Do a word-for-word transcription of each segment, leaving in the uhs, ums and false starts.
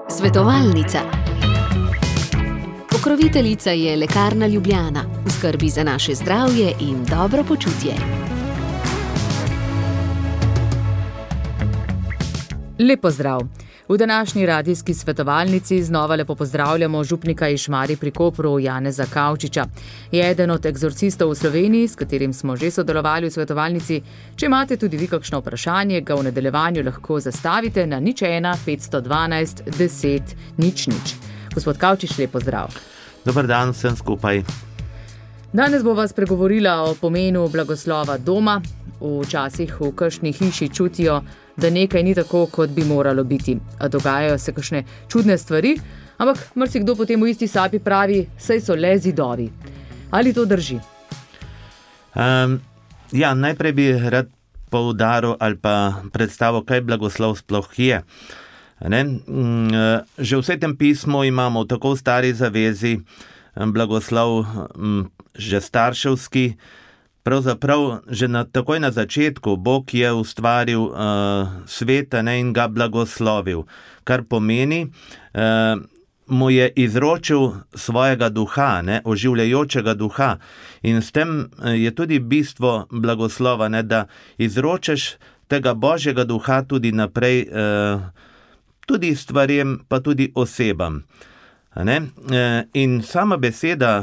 Svetovalnica. Pokroviteljica je Lekarna Ljubljana, v skrbi za naše zdravje in dobro počutje. Lep pozdrav. V današnji radijski svetovalnici znova lepo pozdravljamo župnika iz Šmarij pri Kopru Janeza Kavčiča. Je eden od egzorcistov v Sloveniji, s katerim smo že sodelovali v svetovalnici. Če imate tudi vi kakšno vprašanje, ga v nadaljevanju lahko zastavite na nič ena petsto dvanajst deset nič nič. Gospod Kavčič, lep pozdrav. Dobar dan vsem skupaj. Danes bova spregovorila o pomenu blagoslova doma. Včasih v kakšni hiši čutijo, da nekaj ni tako, kot bi moralo biti. Dogajajo se kakšne čudne stvari, ampak marsikdo potem v isti sapi pravi, saj so le zidovi. Ali to drži? Um, ja, najprej bi rad poudaril ali pa predstavil, kaj blagoslov sploh je. Ne? Že v Svetem pismu imamo v tako stari zavezi blagoslov že starševski. Pravzaprav že na, takoj na začetku Bog je ustvaril uh, svet in ga blagoslovil, kar pomeni, uh, mu je izročil svojega duha, ne, oživljajočega duha. In s tem je tudi bistvo blagoslova, ne, da izročeš tega Božjega duha tudi naprej, uh, tudi stvarem, pa tudi osebam. Ne. Uh, in sama beseda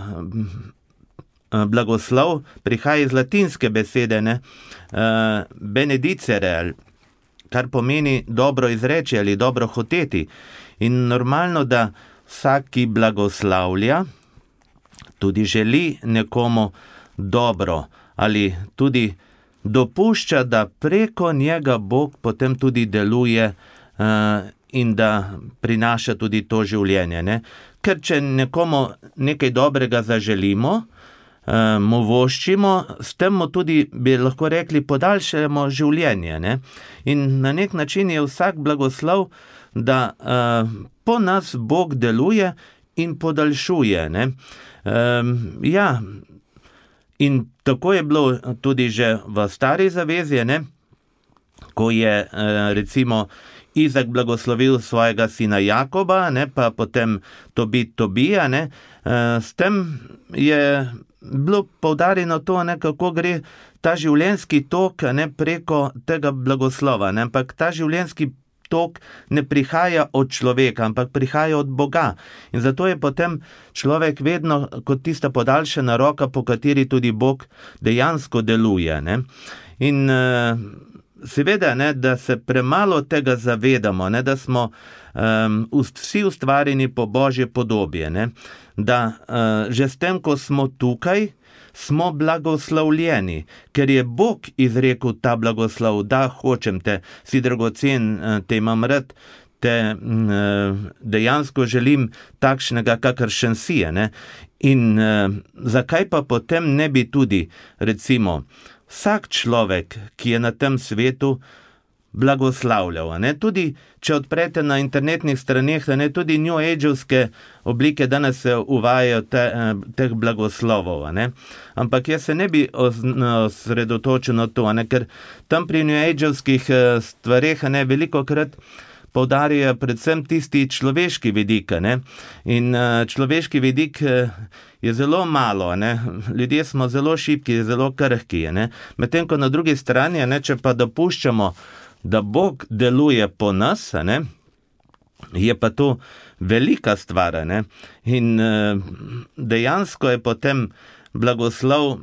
blagoslov prihaja iz latinske besede, ne, uh, benedicere, kar pomeni dobro izreči ali dobro hoteti. In normalno, da vsak, ki blagoslavlja, tudi želi nekomu dobro ali tudi dopušča, da preko njega Bog potem tudi deluje uh, in da prinaša tudi to življenje. Ne. Ker če nekomu nekaj dobrega zaželimo, mu voščimo, s tem mu tudi, bi lahko rekli, podaljšamo življenje. Ne? In na nek način je vsak blagoslov, da uh, po nas Bog deluje in podaljšuje. Ne? Um, ja, in tako je bilo tudi že v stari zavezi, ne? Ko je uh, recimo Izak blagoslovil svojega sina Jakoba, ne? Pa potem Tobit Tobija, ne? Uh, s tem je bilo poudarjeno to, ne, kako gre ta življenjski tok, ne, preko tega blagoslova, ne, ampak ta življenjski tok ne prihaja od človeka, ampak prihaja od Boga. In zato je potem človek vedno kot tista podaljšana roka, po kateri tudi Bog dejansko deluje. Ne. In uh, seveda, ne, da se premalo tega zavedamo, ne, da smo um, vsi ustvarjeni po Božje podobje, ne, da uh, že s tem, ko smo tukaj, smo blagoslovljeni, ker je Bog izrekel ta blagoslov, da hočem te, si dragocen, te imam rad, te uh, dejansko želim takšnega, kakršen si je. Ne? In uh, zakaj pa potem ne bi tudi, recimo, vsak človek, ki je na tem svetu, blagoslavljal. Ne? Tudi, če odprete na internetnih straneh, ne? Tudi New Age-ovske oblike danes se uvajajo te, teh blagoslovov. Ne? Ampak jaz se ne bi osredotočil na to, ne? Ker tam pri New Age-ovskih stvareh ne, veliko krat poudarjajo predvsem tisti človeški vidik. Ne? In človeški vidik je zelo malo, ne? Ljudje smo zelo šibki, zelo krhki. Medtem ko na drugi strani, ne, če pa dopuščamo, da Bog deluje po nas, ne, je pa to velika stvar. Ne? In uh, dejansko je potem blagoslov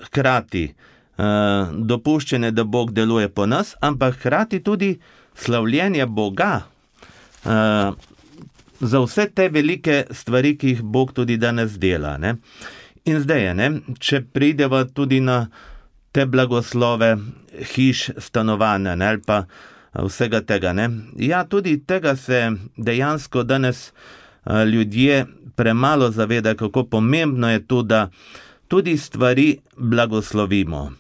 hkrati uh, dopuščene, da Bog deluje po nas, ampak hkrati tudi slavljenje Boga uh, za vse te velike stvari, ki jih Bog tudi danes dela. Ne? In zdaj, ne, če prideva tudi na te blagoslove hiš, stanovanja, ne, ali pa vsega tega. Ne. Ja, tudi tega se dejansko danes uh, ljudje premalo zavedajo, kako pomembno je to, da tudi stvari blagoslovimo.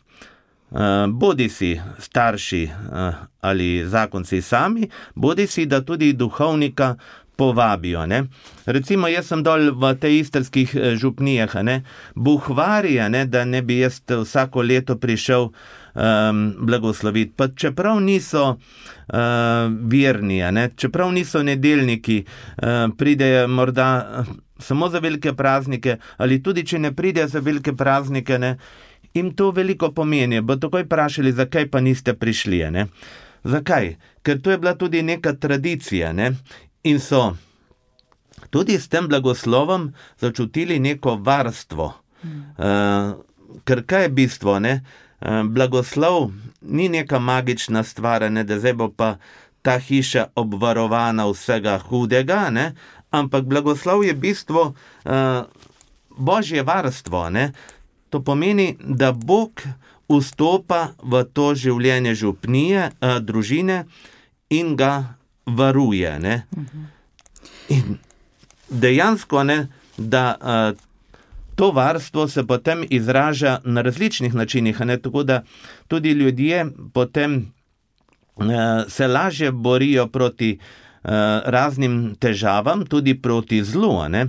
Uh, bodi si starši uh, ali zakonci sami, bodi si, da tudi duhovnika povabijo. Ne. Recimo, jaz sem dol v tej istrskih župnijah, ne, buhvarija, ne, da ne bi jaz vsako leto prišel um, blagosloviti. Pa čeprav niso uh, verni, ne, čeprav niso nedeljniki, uh, pridejo morda samo za velike praznike, ali tudi če ne pridejo za velike praznike, ne, jim to veliko pomeni. Bo takoj vprašali, zakaj pa niste prišli. Ne. Zakaj? Ker to je bila tudi neka tradicija, ne, in so tudi s tem blagoslovom začutili neko varstvo. Hmm. Uh, ker kaj je bistvo, ne? Uh, blagoslov ni neka magična stvar, ne, da zdaj bo pa ta hiša obvarovana vsega hudega, ne? Ampak blagoslov je bistvo uh, Božje varstvo. Ne? To pomeni, da Bog vstopa v to življenje župnije, uh, družine in ga varuje. Ne? Hmm. In dejansko, ne, da uh, to varstvo se potem izraža na različnih načinih, ne, tako da tudi ljudje potem uh, se lažje borijo proti uh, raznim težavam, tudi proti zlu. Ne,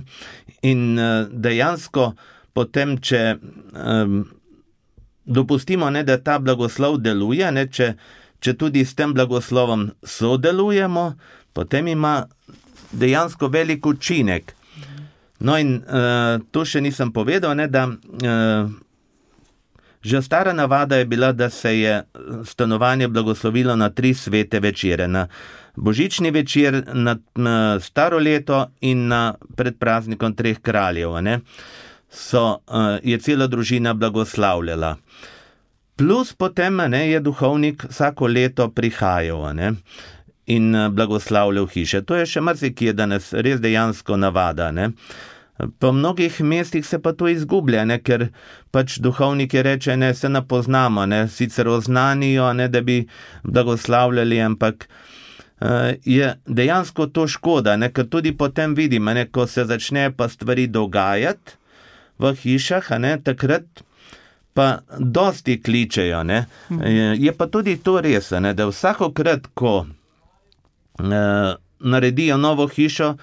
in uh, dejansko potem, če um, dopustimo, ne, da ta blagoslov deluje, ne, če, če tudi s tem blagoslovom sodelujemo, potem ima dejansko velik učinek. No in uh, to še nisem povedal, ne, da uh, že stara navada je bila, da se je stanovanje blagoslovilo na tri svete večere. Na božični večer, na, na staro leto in na pred praznikom treh kraljev. Ne, so, uh, je cela družina blagoslavljala. Plus potem, ne, je duhovnik vsako leto prihajal, ne, in blagoslavljal hiše. To je še marsikje danes res dejansko navada. Ne. Po mnogih mestih se pa to izgublja, ne, ker pač duhovniki reče, ne, se ne poznamo, ne, sicer oznanijo, ne, da bi blagoslavljali, ampak uh, je dejansko to škoda, ne, ker tudi potem vidimo, ne, ko se začne pa stvari dogajati v hišah, ne, takrat pa dosti kličejo. Ne. Hmm. Je pa tudi to res, ne, da vsakokrat, ko naredijo novo hišo,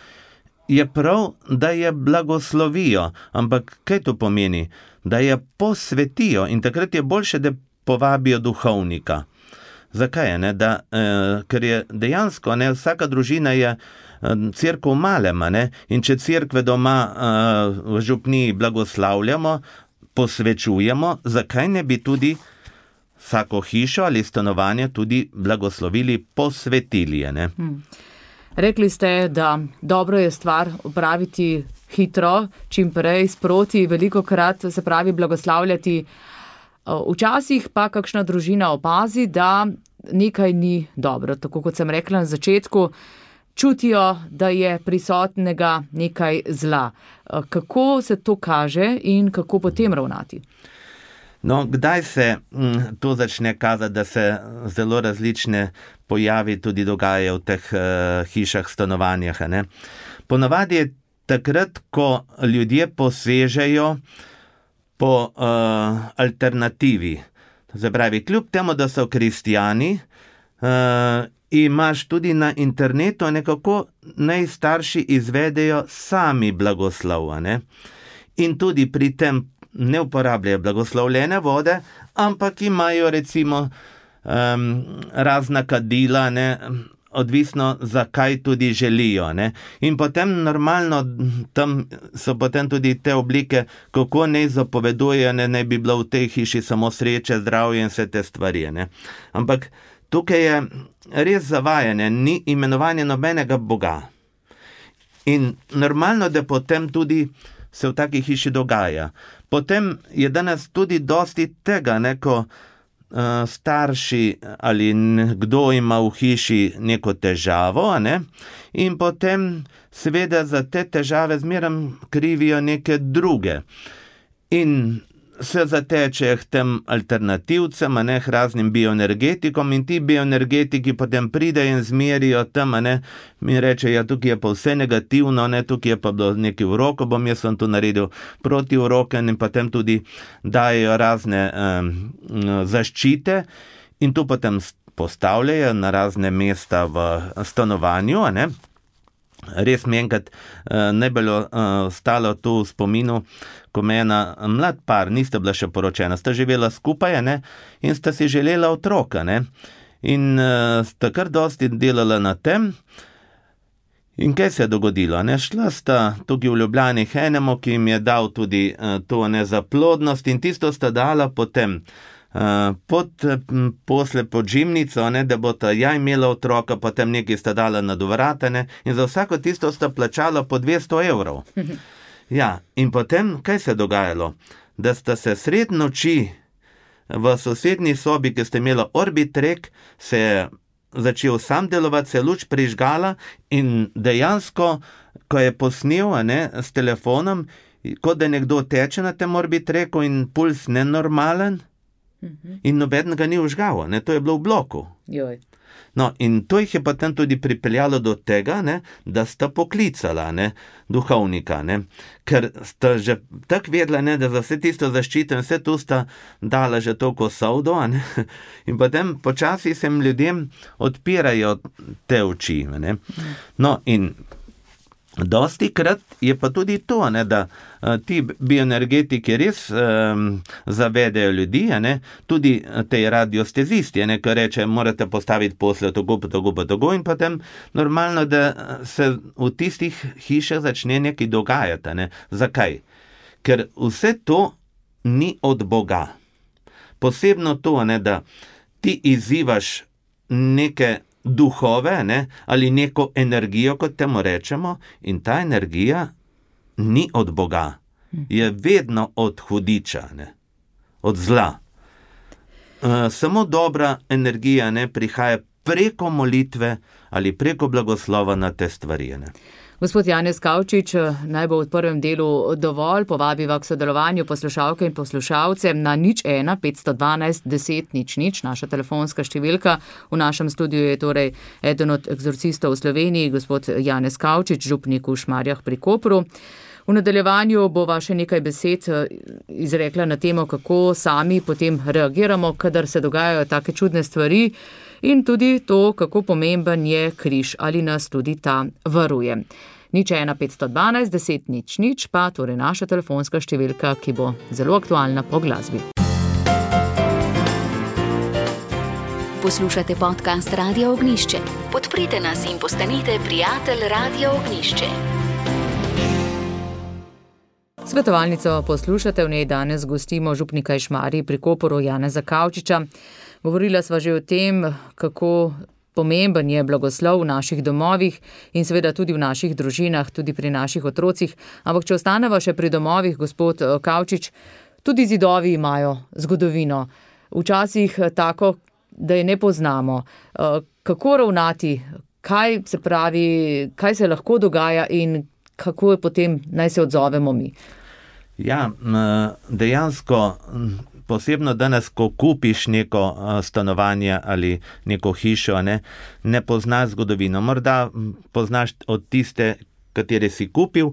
je prav, da je blagoslovijo. Ampak kaj to pomeni? Da je posvetijo in takrat je boljše, da povabijo duhovnika. Zakaj? Ne? Da, eh, ker je dejansko, ne, vsaka družina je cerkev malema, ne? In če cerkve doma eh, v župniji blagoslavljamo, posvečujemo, zakaj ne bi tudi vsako hišo ali stanovanje tudi blagoslovili, posvetili. Ne? Hmm. Rekli ste, da dobro je stvar opraviti hitro, čim prej, sproti, veliko krat se pravi blagoslavljati. Včasih pa kakšna družina opazi, da nekaj ni dobro. Tako kot sem rekla na začetku, čutijo, da je prisotnega nekaj zla. Kako se to kaže in kako potem ravnati? No, kdaj se m, to začne kazati, da se zelo različne pojavi tudi dogajajo v teh uh, hišah, stanovanjah, ne? Ponavadi je takrat, ko ljudje posežejo po uh, alternativi. To se pravi, kljub temu, da so kristjani, uh, imaš tudi na internetu nekako naj starši izvedejo sami blagoslov, ne? In tudi pri tem ne uporabljajo blagoslovljene vode, ampak imajo recimo um, razna kadila, ne, odvisno zakaj tudi želijo. Ne. In potem normalno tam so potem tudi te oblike, kako naj zapovedujejo, ne, naj bi bilo v tej hiši samo sreče, zdravje in vse te stvari. Ne. Ampak tukaj je res zavajanje, ni imenovanje nobenega Boga. In normalno, da potem tudi se v taki hiši dogaja. Potem je danes tudi dosti tega, ne, ko uh, starši ali kdo ima v hiši neko težavo, ne, in potem seveda za te težave zmeraj krivijo neke druge. In se zatečejo k tem alternativcem, ne, k raznim bioenergetikom in ti bioenergetiki potem pridejo in zmerijo tam, ne, mi rečejo, ja, tukaj je pa vse negativno, ne, tukaj je pa bilo neki uroko, bom jaz sem tu naredil proti uroken in potem tudi dajo razne um, zaščite in tu potem postavljajo na razne mesta v stanovanju, ne. res mi enkrat uh, najbolj uh, stalo tu v spominu, ko me ena mlad par, nista bila še poročena, sta živela skupaj, ne, in sta si želela otroka, ne, in uh, sta kar dosti delala na tem. In kaj se je dogodilo? Ne? Šla sta tukaj v Ljubljani k enemu, ki jim je dal tudi uh, to ne, za plodnost, in tisto sta dala potem uh, pod m, posle pod žimnico, ne, da bo ta ja imela otroka, potem nekaj sta dala na dovrata, ne, in za vsako tisto sta plačala po dvesto evrov. Ja, in potem, kaj se je dogajalo? Da sta se sred noči v sosednji sobi, ki sta imela Orbitrek, se je začel sam delovati, se je luč prižgala in dejansko, ko je posnel ne, s telefonom, kot da nekdo teče na tem Orbitreku in puls nenormalen, mm-hmm. in noben ga ni užgal, ne, to je bilo v bloku. Joj. No, in to jih je potem tudi pripeljalo do tega, ne, da sta poklicala ne, duhovnika, ne, ker sta že tako vedela, ne, da za vse tisto zaščito in vse tu sta dala že toliko soldo, ne, in potem počasi se jim ljudem odpirajo te oči. Ne. No, in dosti krat je pa tudi to, ne, da uh, ti bioenergetiki res um, zavedajo ljudi, ne, tudi te radiostezisti, ne, ki reče, morate postaviti posle tako, tako, tako, in potem normalno, da se v tistih hišah začne nekaj dogajati. Ne. Zakaj? Ker vse to ni od Boga. Posebno to, ne, da ti izzivaš neke duhove, ne, ali neko energijo, kot temu rečemo, in ta energija ni od Boga, je vedno od hudiča, ne, od zla. Uh, samo dobra energija ne, prihaja preko molitve ali preko blagoslova na te stvari. Ne. Gospod Janez Kavčič, naj bo v prvem delu dovolj, povabiva k sodelovanju poslušalke in poslušalce na nič ena petsto dvanajst deset nič nič, naša telefonska številka. V našem studiu je torej eden od egzorcistov v Sloveniji, gospod Janez Kavčič, župnik v Šmarjah pri Kopru. V nadaljevanju bova še nekaj besed izrekla na temo, kako sami potem reagiramo, kadar se dogajajo take čudne stvari, in tudi to, kako pomemben je križ, ali nas tudi ta varuje. nič ena petsto dvanajst deset nič nič pa torej naša telefonska številka, ki bo zelo aktualna po glasbi. Poslušate podcast Radia Ognjišče. Podprite nas in postanite prijatelj Radia Ognjišče. Svetovalnico poslušate, v njej danes gostimo župnika iz Šmarij pri Kopru Janeza Kavčiča. Govorila sva že o tem, kako pomemben je blagoslov v naših domovih in seveda tudi v naših družinah, tudi pri naših otrocih. Ampak če ostaneva še pri domovih, gospod Kavčič, tudi zidovi imajo zgodovino. Včasih tako, da je ne poznamo. Kako ravnati, kaj se pravi, kaj se lahko dogaja in kako je potem naj se odzovemo mi? Ja, dejansko, posebno danes, ko kupiš neko stanovanje ali neko hišo, ne, ne poznaš zgodovino. Morda poznaš od tiste, katere si kupil,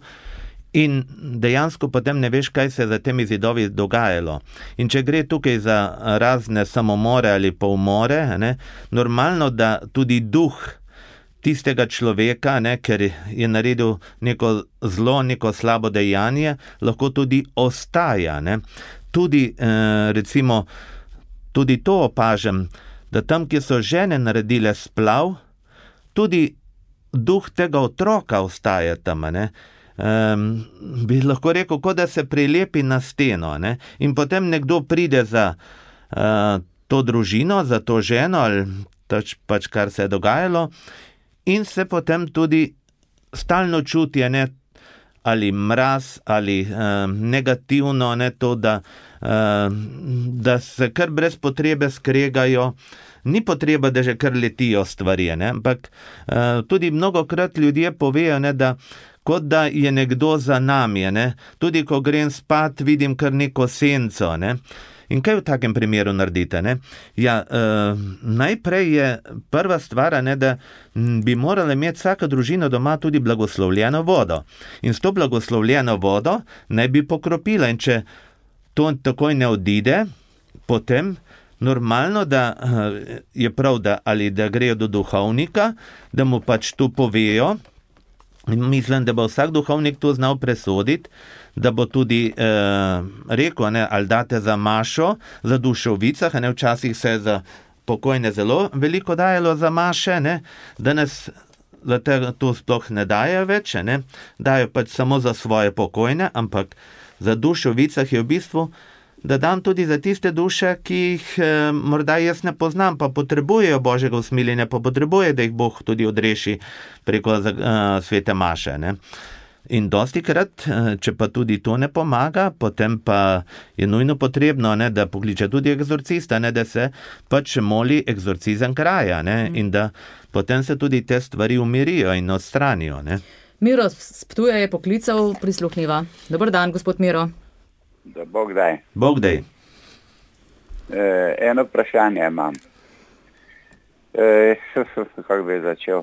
in dejansko potem ne veš, kaj se za temi zidovi dogajalo. In če gre tukaj za razne samomore ali pa umore, ne, normalno, da tudi duh tistega človeka, ne, ker je naredil neko zlo, neko slabo dejanje, lahko tudi ostaja. Ne. Tudi, eh, recimo, tudi to opažam, da tam, kjer so žene naredile splav, tudi duh tega otroka ostaja tam. Ne. Um, bi lahko rekel, kot da se prilepi na steno, ne. In potem nekdo pride za uh, to družino, za to ženo, ali tač, pač kar se je dogajalo, in se potem tudi stalno čuti, ne, ali mraz, ali um, negativno, ne, to, da, um, da se kar brez potrebe skregajo. Ni potreba, da že kar letijo stvari, ne, ampak uh, tudi mnogokrat ljudje povejo, ne, da kot da je nekdo za nami, ne. Tudi ko grem spat, vidim kar neko senco, ne. In kaj v takem primeru naredite? Ne? Ja, uh, najprej je prva stvar, ne, da bi morala imeti vsaka družina doma tudi blagoslovljeno vodo. In s to blagoslovljeno vodo naj bi pokropila. In če to takoj ne odide, potem normalno, da uh, je prav, da ali da grejo do duhovnika, da mu pač to povejo, In mislim, da bo vsak duhovnik to znal presoditi, da bo tudi eh, rekel, ne, ali date za mašo, za dušo v vicah, ne, včasih se za pokojne zelo veliko dajalo za maše, ne, danes za te to sploh ne daje več, ne, dajo pač samo za svoje pokojne, ampak za dušo v vicah je v bistvu, da dam tudi za tiste duše, ki jih eh, morda jaz ne poznam, pa potrebujejo Božjega usmiljenja, pa potrebuje, da jih Bog tudi odreši preko uh, svete maše. Ne. In dosti krat, če pa tudi to ne pomaga, potem pa je nujno potrebno, ne, da pokliče tudi egzorcista, ne, da se pač moli egzorcizem kraja, ne, in da potem se tudi te stvari umirijo in odstranijo. Ne. Miro s Ptuja je poklical, prisluhniva. Dober dan, gospod Miro. Da Bog daj. Bog daj. E, eno vprašanje imam. E, kako bi začel?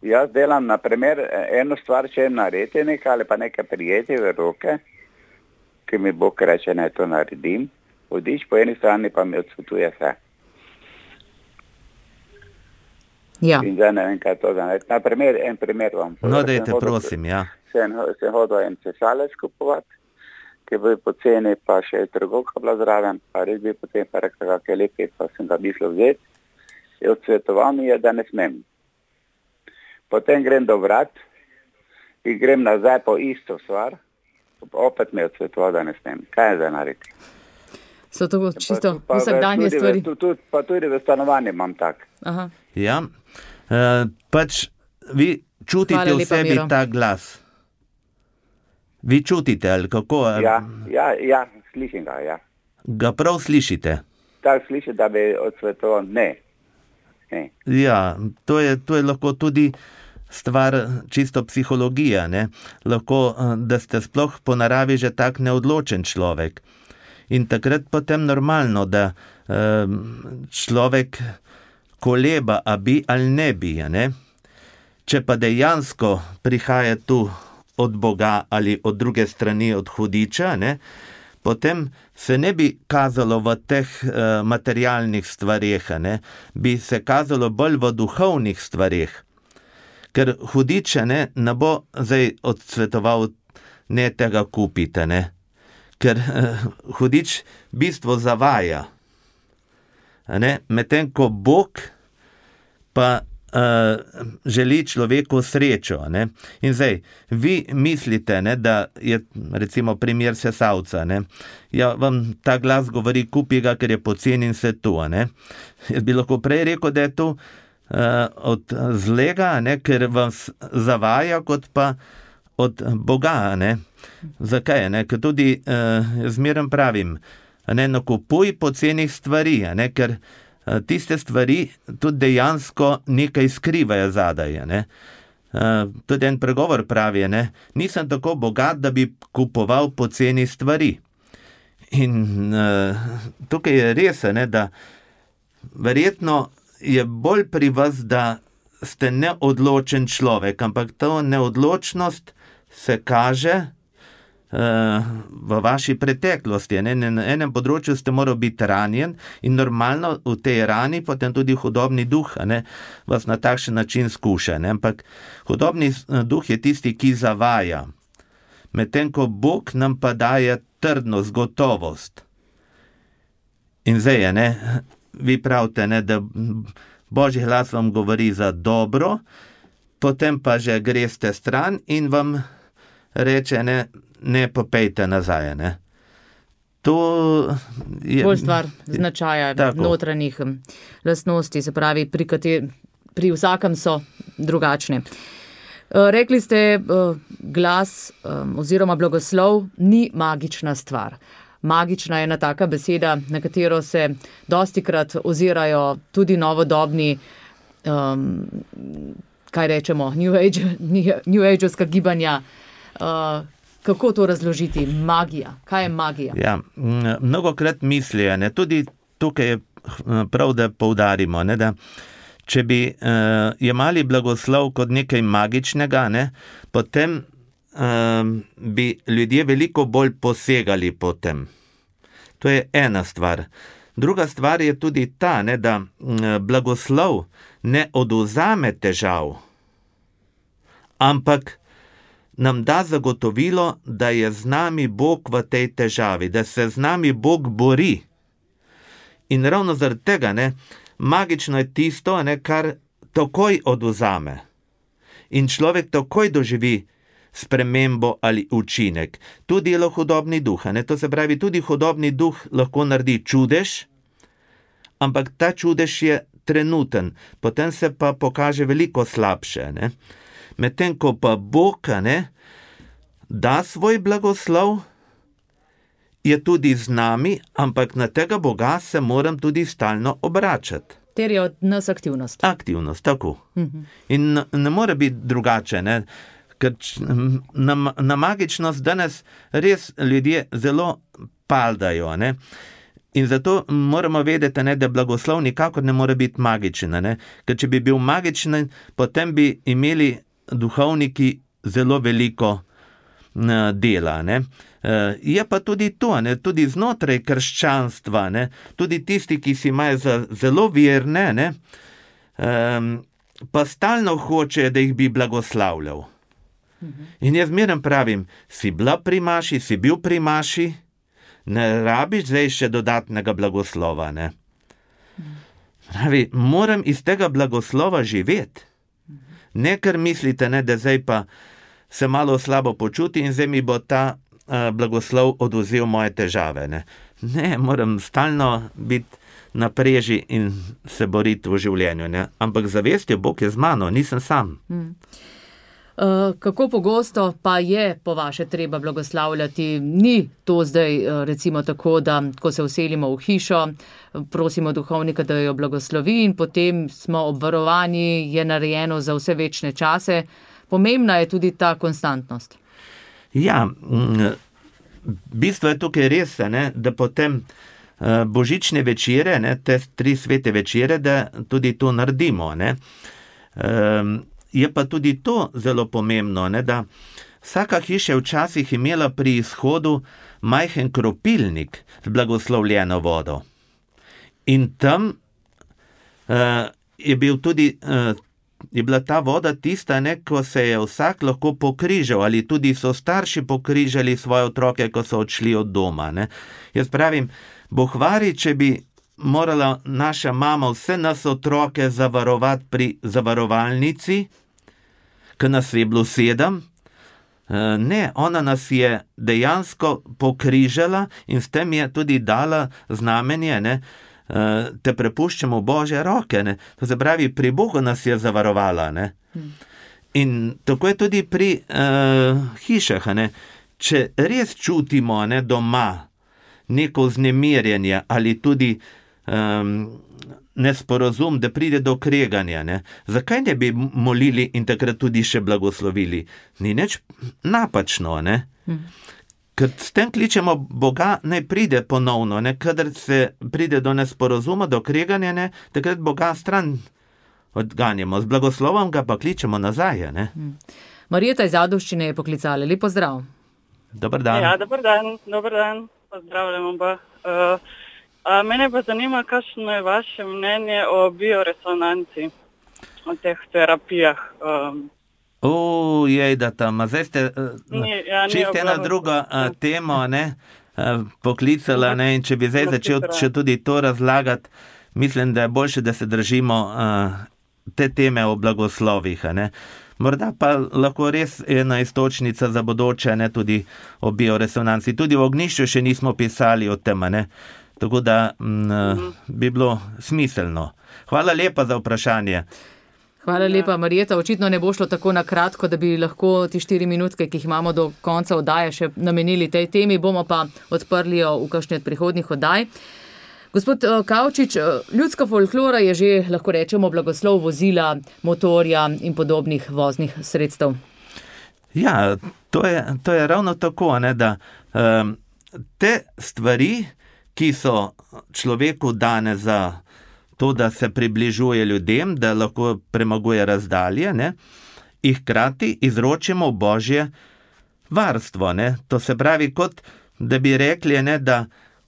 Jaz delam, na primer, eno stvar, če narediti nekaj ali pa nekaj prijeti v roke, ki mi Bog reče, ne to naredim, vodič po eni strani pa mi odsvetuje vse. Ja. In zdaj ne vem, kaj to za narediti. Na primer, en primer vam. No, dajte, prosim, ja. Sem, sem hodil en cesalec kupovati, ki je bil poceni, pa še je trgovka bila zraven, pa res bi potem pa rekel, kak je lepi, pa sem ga mislil vzeti. Je odsvetoval mi je, da ne smem. Potem grem do vrat in grem nazaj po isto stvar, opet mi je odsvetoval, da ne smem. Kaj je zdaj narediti? So to čisto vsakdanje stvari? V, tudi, pa tudi v stanovanju imam tak. Aha. Ja, uh, pač vi čutite Hvala v lepa, sebi Miro. ta glas. Vi čutite, ali kako? Ja, ja, ja, slišim ga, ja. Ga prav slišite? Tak sliši, da bi odsvetoval, ne. ne. Ja, to je, to je lahko tudi stvar čisto psihologija, ne? Lahko, da ste sploh po naravi že tak neodločen človek. In takrat potem normalno, da eh, človek koleba, a bi ali ne bi, ne? Če pa dejansko prihaja tu od Boga ali od druge strani od hudiča, ne, potem se ne bi kazalo v teh uh, materialnih stvareh, ne, bi se kazalo bolj v duhovnih stvareh. Ker hudiče ne, ne bo zdaj odsvetoval, ne tega kupite, ne. Ker uh, hudič bistvo zavaja. Ne, medtem ko Bog pa Uh, želi človeku srečo. Ne? In zdaj, vi mislite, ne, da je recimo primer sesalca, ne? Ja, vam ta glas govori, kupi ga, ker je poceni in se tu. Ne? Jaz bi lahko prej rekel, da je to uh, od zlega, ne, ker vas zavaja, kot pa od Boga. Ne? Zakaj? Ne? Ker tudi uh, zmeraj pravim, ne, nakupuj pocenih stvari, ne? Ker tiste stvari tudi dejansko nekaj skrivajo zadaj. Ne? Uh, tudi en pregovor pravi, ne? Nisem tako bogat, da bi kupoval poceni stvari. In uh, tukaj je res, ne, da verjetno je bolj pri vas, da ste neodločen človek, ampak ta neodločnost se kaže v vaši preteklosti. Ne? Na enem področju ste morali biti ranjen in normalno v tej rani potem tudi hudobni duh, ne, vas na takšen način skuša. Ne? Ampak hudobni duh je tisti, ki zavaja. Medtem ko Bog nam pa daje trdnost, gotovost. In zdaj je, ne, vi pravite, ne, da Božji glas vam govori za dobro, potem pa že greste stran in vam reče, ne, ne popejte nazaj, ne. To je bolj stvar značaja tako. Notranjih lastnosti, se pravi, pri, kater, pri vsakem so drugačne. Rekli ste, glas oziroma blagoslov ni magična stvar. Magična je ena taka beseda, na katero se dostikrat ozirajo tudi novodobni, um, kaj rečemo, New Age, New Age-ovska gibanja. Uh, Kako to razložiti? Magija. Kaj je magija? Ja, mnogokrat mislijo, ne, tudi tukaj je prav, da poudarimo, ne, da če bi uh, jemali blagoslov kot nekaj magičnega, ne, potem uh, bi ljudje veliko bolj posegali po tem. To je ena stvar. Druga stvar je tudi ta, ne, da blagoslov ne odvzame težav, ampak nam da zagotovilo, da je z nami Bog v tej težavi, da se z nami Bog bori. In ravno zaradi tega, ne, magično je tisto, ne, kar takoj odvzame. In človek takoj doživi spremembo ali učinek. Tu delo hudobni duh, ne, to se pravi, tudi hudobni duh lahko naredi čudež, ampak ta čudež je trenuten, potem se pa pokaže veliko slabše, ne. Medtem ko pa Bog, ne, da svoj blagoslov, je tudi z nami, ampak na tega Boga se moram tudi stalno obračati. Ter je od nas aktivnost. Aktivnost, tako. Mhm. In ne more biti drugače, ne, ker na, na magičnost danes res ljudje zelo paldajo, ne. In zato moramo vedeti, ne, da blagoslov nikakor ne more biti magičen, ne, ker če bi bil magičen, potem bi imeli duhovniki zelo veliko dela, ne. Je pa tudi to, ne, tudi znotraj krščanstva, ne, tudi tisti, ki si imajo za zelo verne, ne, pa stalno hoče, da jih bi blagoslavljal. In jaz zmeraj pravim, si bila pri maši, si bil pri maši, ne rabiš zdaj še dodatnega blagoslova, ne. Pravi, moram iz tega blagoslova živeti. Ne, ker mislite, ne, da zdaj pa se malo slabo počuti in zdaj mi bo ta uh, blagoslov odvzel moje težave, ne. Ne, moram stalno biti na preži in se boriti v življenju, ne. Ampak zavestjo, Bog je z mano, nisem sam. Hmm. Uh, kako pogosto pa je po vaše treba blagoslavljati? Ni to zdaj uh, recimo tako, da ko se vselimo v hišo, prosimo duhovnika, da jo blagoslovi in potem smo obvarovani, je narejeno za vse večne čase. Pomembna je tudi ta konstantnost. Ja, bistvo je tukaj res, ne, da potem uh, božične večere, ne, te tri svete večere, da tudi to naredimo, ne. Um, Je pa tudi to zelo pomembno, ne, da vsaka hiša je včasih imela pri izhodu majhen kropilnik z blagoslovljeno vodo. In tam uh, je bil tudi, uh, je bila ta voda tista, ne, ko se je vsak lahko pokrižal, ali tudi so starši pokrižali svoje otroke, ko so odšli od doma, ne. Jaz pravim, bohvari, če bi morala naša mama vse nas otroke zavarovati pri zavarovalnici, ko nas je bilo sedem. Ne, ona nas je dejansko pokrižala in s tem je tudi dala znamenje, ne, te prepuščamo v Božje roke, ne. To se pravi, pri Bogu nas je zavarovala, ne. In tako je tudi pri uh, hišah, ne. Če res čutimo, ne, doma neko vznemirjenje ali tudi Um, nesporazum, da pride do kreganja, ne? Zakaj ne bi molili in takrat tudi še blagoslovili? Ni nič napačno, ne? Hmm. Ker s tem kličemo Boga, naj pride ponovno, ne? Kadar se pride do nesporazuma, do kreganja, ne? Takrat Boga stran odganjamo, z blagoslovom ga pa kličemo nazaj, ne? Hmm. Marjeta iz Ajdovščine je poklicala. Lep pozdrav. Dobar dan. Ja, dobar dan, dobar dan. Pozdravljamo oba. Uh, A mene pa zanima, kakšno je vaše mnenje o bioresonanci, o teh terapijah. Um. O, jej, da tam, zdaj ste uh, ja, čisto ena druga uh, tema, ne, uh, poklicala, ne, in če bi zdaj začel še tudi to razlagati, mislim, da je boljše, da se držimo uh, te teme o blagoslovih, ne. Morda pa lahko res ena istočnica za bodoče, ne, tudi o bioresonanci. Tudi v Ognjišču še nismo pisali o tem, ne. Tako da m, bi bilo smiselno. Hvala lepa za vprašanje. Hvala lepa, Marjeta. Očitno ne bo šlo tako na kratko, da bi lahko ti štiri minutke, ki jih imamo do konca oddaje, še namenili tej temi. Bomo pa odprli jo v kakšni od prihodnjih oddaj. Gospod Kavčič, ljudska folklora je že, lahko rečemo, blagoslov vozila, motorja in podobnih voznih sredstev. Ja, to je, to je ravno tako, ne, da um, te stvari, ki so človeku dane za to, da se približuje ljudem, da lahko premaguje razdalje, ne, jih hkrati izročimo v Božje varstvo, ne. To se pravi, kot da bi rekli, ne, da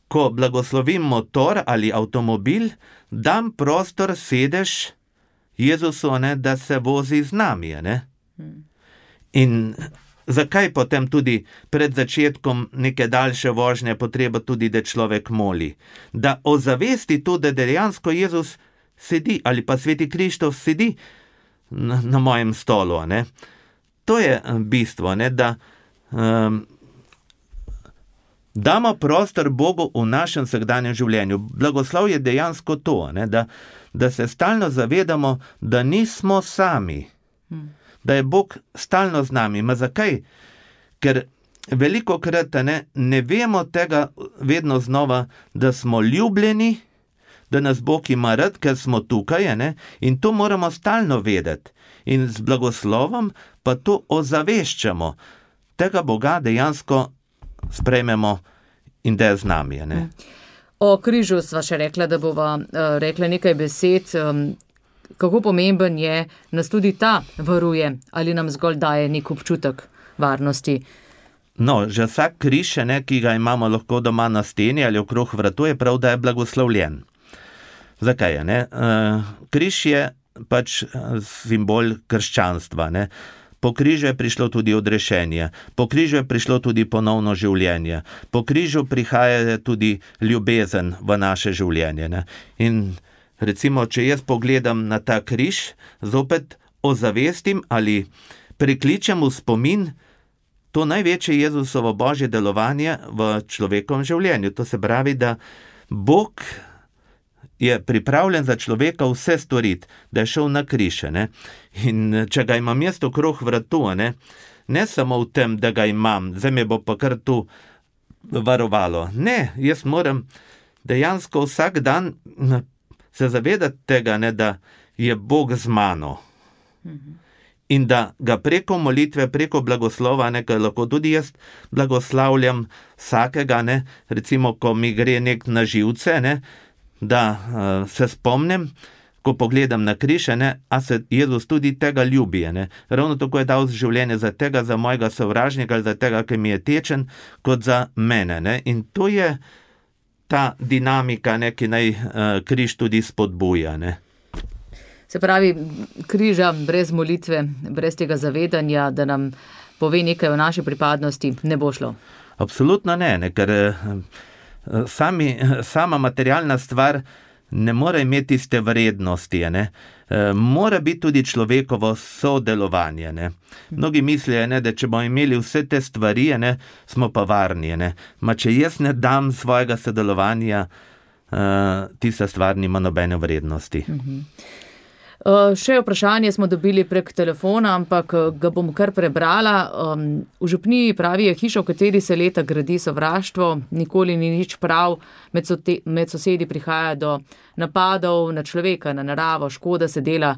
ko blagoslovim motor ali avtomobil, dam prostor, sedež Jezusu, ne, da se vozi z nami, ne. In zakaj potem tudi pred začetkom neke daljše vožnje potreba tudi, da človek moli? Da ozavesti to, da dejansko Jezus sedi ali pa Sveti Krištof sedi na, na mojem stolu. Ne? To je bistvo, ne? Da um, damo prostor Bogu v našem vsakdanjem življenju. Blagoslov je dejansko to, ne? Da, da se stalno zavedamo, da nismo sami. Hmm. Da je Bog stalno z nami. Ma zakaj? Ker veliko krat ne, ne vemo tega vedno znova, da smo ljubljeni, da nas Bog ima rad, ker smo tukaj, ne? In to moramo stalno vedeti. In z blagoslovom pa to ozaveščamo. Tega Boga dejansko sprejmemo in da je z nami. Ne? O križu sva še rekla, da bova uh, rekla nekaj besed. Um, kako pomemben je, nas tudi ta varuje, ali nam zgolj daje nek občutek varnosti? No, že vsak križ, ne, ki ga imamo lahko doma na steni ali okrog vratu, je prav, da je blagoslovljen. Zakaj je? Ne? Uh, križ je pač simbol krščanstva. Ne? Po križu je prišlo tudi odrešenje, po križu je prišlo tudi ponovno življenje, po križu prihaja tudi ljubezen v naše življenje. Ne? In recimo, če jaz pogledam na ta križ, zopet ozavestim ali prikličem v spomin to največje Jezusovo božje delovanje v človekovem življenju. To se pravi, da Bog je pripravljen za človeka vse storiti, da je šel na križ. Ne? In če ga imam jaz okrog vratu, ne? ne samo v tem, da ga imam, zdaj me bo pa kar tu varovalo. Ne, jaz moram dejansko vsak dan se zavedati tega, ne, da je Bog z mano. In da ga preko molitve, preko blagoslova, ne, lahko tudi jaz blagoslavljam vsakega, ne, recimo, ko mi gre nek na živce, ne, da uh, se spomnim, ko pogledam na križ, ne, a se Jezus tudi tega ljubi. Ne. Ravno tako je dal življenje za tega, za mojega sovražnika, za tega, ki mi je tečen, kot za mene. Ne. In to je ta dinamika, ne, ki naj uh, križ tudi spodbuja. Ne. Se pravi, križa brez molitve, brez tega zavedanja, da nam pove nekaj o naši pripadnosti, ne bo šlo? Absolutno ne, ne ker sami, sama materialna stvar ne more imeti iste vrednosti. Ne. E, mora biti tudi človekovo sodelovanje. Ne. Mnogi mislijo, ne, da če bomo imeli vse te stvari, ne, smo pa varni. Ne. Ma če jaz ne dam svojega sodelovanja, uh, tista stvar nima nobene vrednosti. Mhm. Uh, še vprašanje smo dobili prek telefona, ampak ga bom kar prebrala. Um, v župniji pravi je hiša, v kateri se leta gradi sovraštvo, nikoli ni nič prav, med, so te, med sosedi prihaja do napadov na človeka, na naravo, škoda se dela.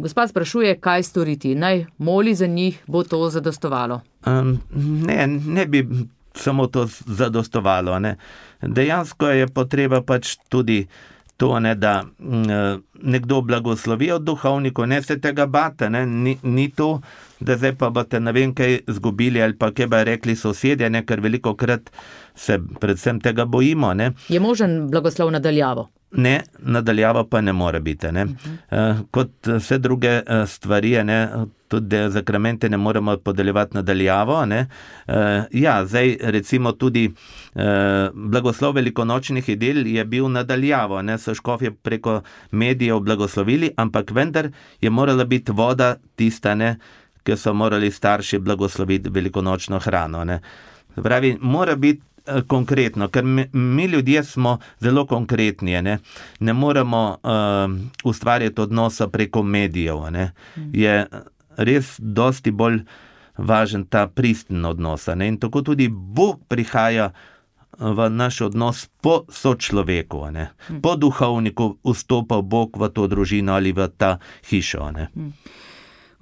Gospa sprašuje, kaj storiti, naj moli za njih, bo to zadostovalo? Um, ne, ne bi samo to zadostovalo. Ne. Dejansko je potreba pač tudi to, ne, da m, nekdo blagoslovi od duhovnikov, ne se tega bate, ne, ni, ni to, da zdaj pa boste ne vem kaj zgubili ali pa kaj bi rekli sosedje, ne, ker veliko krat se predvsem tega bojimo. Ne. Je možen blagoslov nadaljavo? Ne, nadaljava pa ne more biti. Ne. Uh-huh. Uh, kot vse druge uh, stvari, ne, tudi zakramente ne moremo podeljevati nadaljavo. Ne. Uh, ja, zdaj recimo tudi uh, blagoslov velikonočnih idel je bil nadaljavo, ne, so škofje preko medijev blagoslovili, ampak vendar je morala biti voda tista, ne, ki so morali starši blagosloviti velikonočno hrano. Ne. Pravi, mora biti konkretno, ker mi, mi ljudje smo zelo konkretni, ne, ne moremo uh, ustvarjati odnosa preko medijev, ne, je res dosti bolj važen ta pristen odnos, ne, in tako tudi Bog prihaja v naš odnos po sočloveku, ne, po duhovniku vstopa Bog v to družino ali v ta hišo, ne.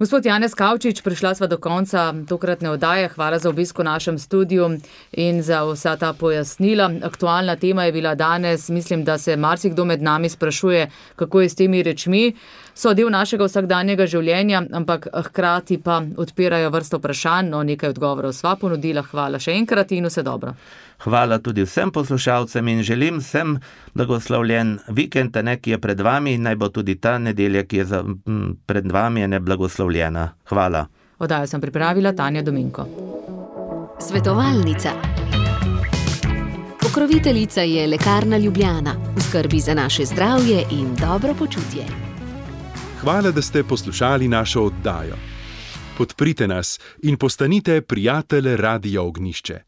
Gospod Janez Kavčič, prišla sva do konca tokratne oddaje. Hvala za obisk v našem studiu in za vsa ta pojasnila. Aktualna tema je bila danes, mislim, da se marsikdo med nami sprašuje, kako je s temi rečmi. So del našega vsakdanjega življenja, ampak hkrati pa odpirajo vrsto vprašanj, no nekaj odgovorov sva ponudila. Hvala še enkrat in vse dobro. Hvala tudi vsem poslušalcem in želim vsem blagoslovljen vikend, ne, ki je pred vami, in naj bo tudi ta nedelja, ki je za, m, pred vami, ne blagoslovljena. Hvala. Oddajo sem pripravila Tanja Dominko. Svetovalnica. Pokroviteljica je Lekarna Ljubljana, v skrbi za naše zdravje in dobro počutje. Hvala, da ste poslušali našo oddajo. Podprite nas in postanite prijatelj Radia Ognjišče.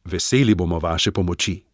Veseli bomo vaše pomoči.